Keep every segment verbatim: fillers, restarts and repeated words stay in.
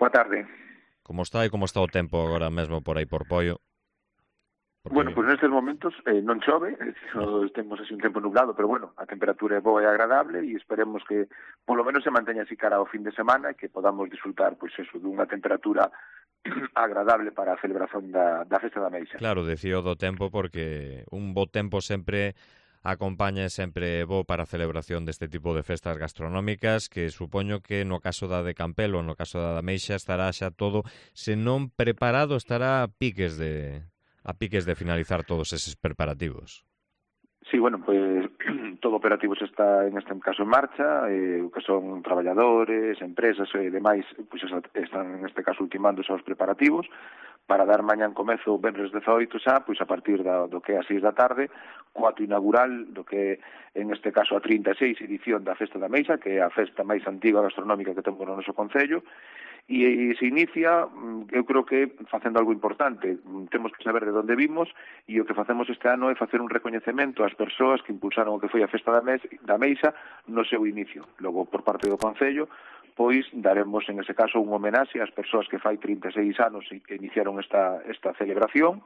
Boa tarde. Como está e como está o tempo agora mesmo por aí por Poio? Porque... Bueno, pois pues nestes momentos eh, non chove, eh, temos así un tempo nublado, pero bueno, a temperatura é boa e agradable e esperemos que polo menos se manteña así cara ao fin de semana e que podamos disfrutar, pois pues eso, dunha temperatura agradable para a celebración da, da Festa da Meixa. Claro, decío do tempo porque un bo tempo sempre acompaña e sempre bo para a celebración deste tipo de festas gastronómicas, que supoño que no caso da de Campelo, no caso da da Meixa, estará xa todo, se non preparado, estará a piques de a piques de finalizar todos eses preparativos. Sí, bueno, pues todo operativo se está en este caso en marcha, eh, que son traballadores, empresas e demais, pues están en este caso ultimando os preparativos para dar mañán comezo o venres dezaoito xa, pois a partir da, do que é as seis da tarde, co ato inaugural do que en este caso a trinta e seis edición da Festa da Meixa, que é a festa máis antiga gastronómica que temos no noso concello, e se inicia, eu creo que facendo algo importante. Temos que saber de onde vimos e o que facemos este ano é facer un recoñecemento ás persoas que impulsaron o que foi a Festa da Meixa no seu inicio. Logo, por parte do Concello, pois daremos en ese caso un homenaxe ás persoas que fai trinta e seis anos que iniciaron esta, esta celebración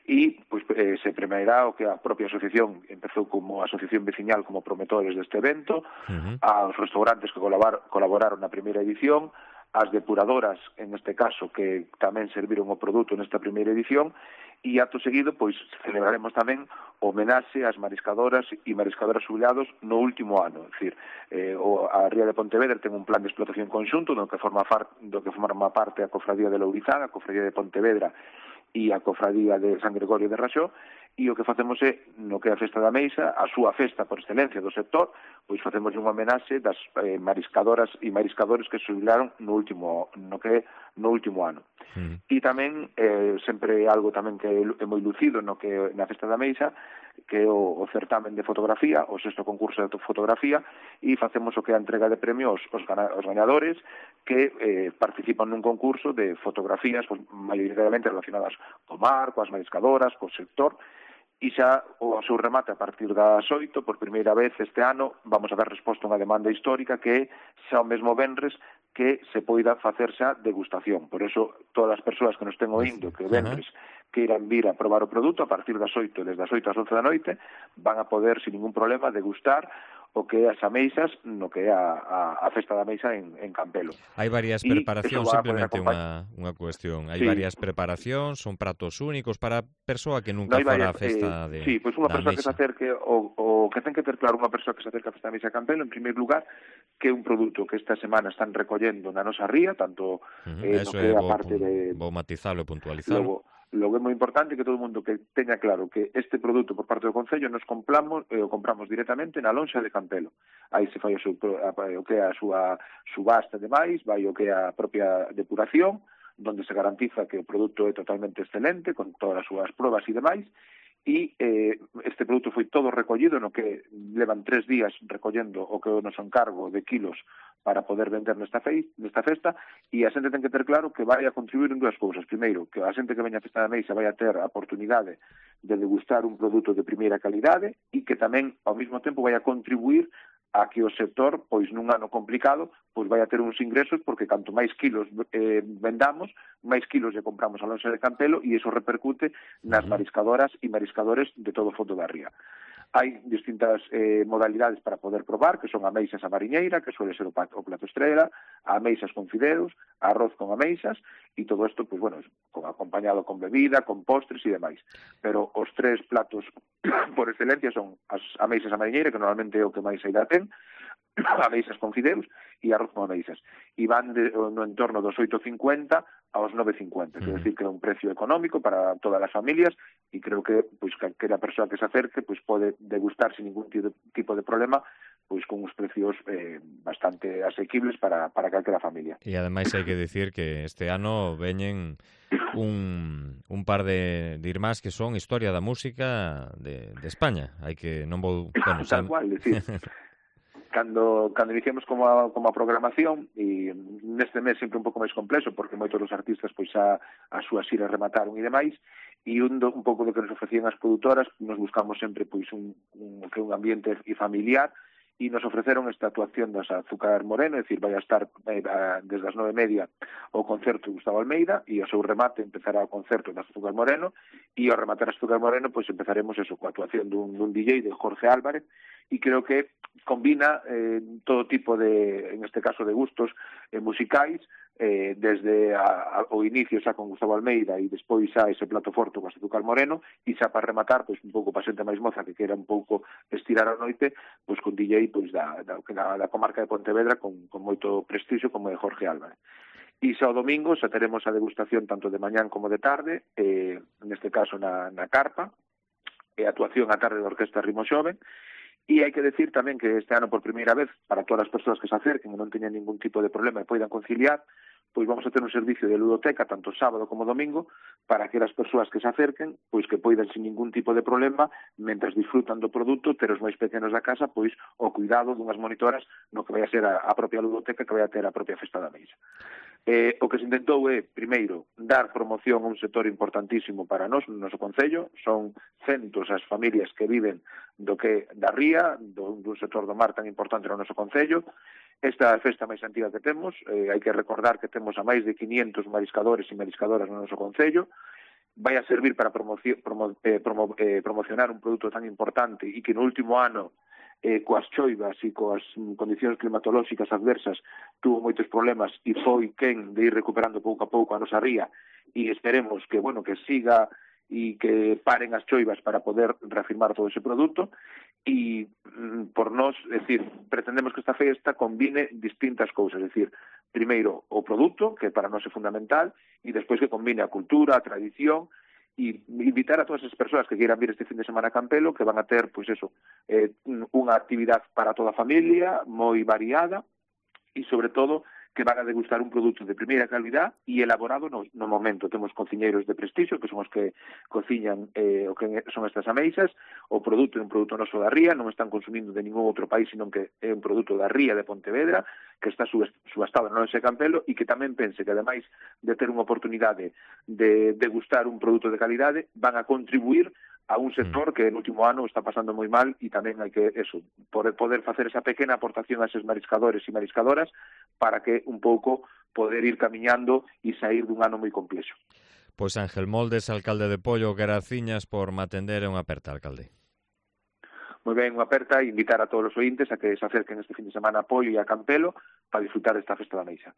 e pois, eh, se premiará o que a propia asociación empezou como asociación veciñal como promotores deste evento, uh-huh. aos restaurantes que colaborar, colaboraron na primeira edición, as depuradoras, en este caso, que tamén serviron o produto nesta primeira edición, e acto seguido, pois, celebraremos tamén o homenaxe ás mariscadoras e mariscadoras xubilados no último ano. É dicir, eh, o, a Ría de Pontevedra ten un plan de explotación conxunto do que forma, far, do que forma parte a Cofradía de Lourizán, a Cofradía de Pontevedra e a Cofradía de San Gregorio de Raxó, e o que facemos é, no que é a Festa da Meixa, a súa festa por excelencia do sector, pois facemos un homenaxe das eh, mariscadoras e mariscadores que se jubilaron no último, no que é no último ano. Uh-huh. E tamén, eh, sempre algo tamén que é moi lucido no que na Festa da Meixa, que é o, o certamen de fotografía, o sexto concurso de fotografía, e facemos o que é a entrega de premios aos, aos gañadores que eh, participan nun concurso de fotografías, pues, maioritariamente relacionadas co mar, coas mariscadoras, co sector, e xa o seu remate a partir das oito, por primeira vez este ano, vamos a dar resposta a unha demanda histórica que é xa o mesmo venres que se poida facer xa degustación. Por eso, todas as persoas que nos ten oíndo que o venres que irán vir a probar o produto, a partir das oito, desde as oito ás once da noite, van a poder, sin ningún problema, degustar o que é as ameixas no que é a, a, a Festa da Meixa en, en Campelo. Hai varias preparacións, simplemente unha, unha cuestión. Hai sí. varias preparacións, son pratos únicos para a persoa que nunca no, fora a festa eh, de Sí, pois pues unha persoa que se acerque, o, o que ten que ter claro unha persoa que se acerque a Festa da Meixa en Campelo, en primeiro lugar, que é un produto que esta semana están recollendo na nosa ría, tanto uh-huh. eh, no que é a parte de... Vou matizalo e puntualizalo. Logo, Logo é moi importante que todo o mundo que teña claro que este produto por parte do Concello nos compramos e eh, o compramos directamente na lonxa de Campelo. Aí se fai o, seu, a, o que é a súa subasta de máis, vai o que é a propia depuración, donde se garantiza que o produto é totalmente excelente, con todas as súas probas e demais, e eh, este produto foi todo recollido, no que levan tres días recollendo o que é o noso encargo de kilos para poder vender nesta, fe nesta festa, e a xente ten que ter claro que vai a contribuir en dúas cousas. Primeiro, que a xente que veña a Festa da Meixa vai a ter a oportunidade de degustar un produto de primeira calidade e que tamén, ao mesmo tempo, vai a contribuir a que o sector, pois nun ano complicado, pois vai a ter uns ingresos, porque canto máis kilos eh, vendamos, máis kilos lle compramos a lonxa de Campelo, e iso repercute nas mariscadoras e mariscadores de todo o fondo da ría. Hai distintas eh, modalidades para poder probar, que son ameixas a mariñeira, que suele ser o, o plato estrela, ameixas con fideos, arroz con ameixas, e todo isto, pues, bueno, con, acompañado con bebida, con postres e demais. Pero os tres platos por excelencia son as ameixas a mariñeira, que normalmente é o que máis saída ten, ameixas con fideos e arroz con ameixas. E van de, no entorno dos oito cincuenta aos nove cincuenta, quer decir que é un precio económico para todas as familias, e creo que pois calquera persoa que se acerque pois pode degustar sin ningún tipo de problema, pois con uns precios eh, bastante asequibles para, para calquera familia. E ademais hai que dicir que este ano veñen un, un par de, de irmás que son historia da música de, de España. Hai que non vou... Bueno, Tal cual, decir... Cando, cando iniciamos como a, como a programación, e neste mes sempre un pouco máis complexo, porque moitos dos artistas pois a, a súas xiras remataron e demais, e un, do, un pouco do que nos ofrecían as produtoras, nos buscamos sempre pois un, un, que un ambiente familiar, e nos ofreceron esta actuación das Azúcar Moreno, é dicir, vai a estar eh, desde as nove e media o concerto de Gustavo Almeida e o seu remate empezará o concerto das Azúcar Moreno e ao rematar as Azúcar Moreno pois empezaremos eso, coa actuación dun, dun D J de Jorge Álvarez e creo que combina eh, todo tipo de, en este caso, de gustos eh, musicais, eh, desde a, a, o inicio xa con Gustavo Almeida e despois xa ese plato forte con Azúcar Moreno e xa para rematar, pois un pouco para xente máis moza que quera un pouco estirar a noite, pois con D J pois da, da, da, da comarca de Pontevedra con, con moito prestixio como é Jorge Álvarez. E xa o domingo xa teremos a degustación tanto de mañán como de tarde, eh, neste caso na, na carpa, e a actuación a tarde da Orquesta Ritmo Xoven. E hai que decir tamén que este ano por primeira vez, para todas as persoas que se acerquen e non teñan ningún tipo de problema e poidan conciliar, pois vamos a ter un servicio de ludoteca tanto sábado como domingo para que as persoas que se acerquen, pois que poidan sin ningún tipo de problema, mentras disfrutan do produto, ter os máis pequenos da casa, pois o cuidado dunhas monitoras no que vai a ser a, a propia ludoteca que vai a ter a propia Festa da Meixa. Eh, o que se intentou é, primeiro, dar promoción a un sector importantísimo para nós, no noso concello. Son centos as familias que viven do que da ría, do, dun sector do mar tan importante no noso concello. Esta é a festa máis antiga que temos, eh, hai que recordar que temos a máis de quinientos mariscadores e mariscadoras no noso concello. Vai a servir para promo, promo, eh, promo, eh, promocionar un produto tan importante e que no último ano eh, coas choivas e coas condicións climatolóxicas adversas tuvo moitos problemas e foi quen de ir recuperando pouco a pouco a nosa ría e esperemos que, bueno, que siga e que paren as choivas para poder reafirmar todo ese produto e mm, por nós, é dicir, pretendemos que esta festa combine distintas cousas, é dicir, primeiro o produto, que para nós é fundamental, e despois que combine a cultura, a tradición, e invitar a todas as persoas que queiran vir este fin de semana a Campelo, que van a ter, pois eso, eh, unha actividade para toda a familia, moi variada, e sobre todo que van a degustar un produto de primeira calidad e elaborado no, no momento. Temos cociñeiros de prestixio, que son os que cociñan eh, o que son estas ameixas. O produto é un produto noso da ría, non están consumindo de ningún outro país, sino que é un produto da ría de Pontevedra, que está subastado no ese Campelo, e que tamén pense que, ademais de ter unha oportunidade de degustar un produto de calidade, van a contribuir a un sector que no último ano está pasando moi mal e tamén hai que, eso, poder, poder facer esa pequena aportación a eses mariscadores e mariscadoras para que un pouco poder ir camiñando e sair dun ano moi complexo. Pois Ángel Moldes, alcalde de Pollo, graciñas por me atender, é unha aperta, alcalde. Moi ben, unha aperta e invitar a todos os ointes a que se acerquen este fin de semana a Pollo e a Campelo para disfrutar desta Festa da Meixa.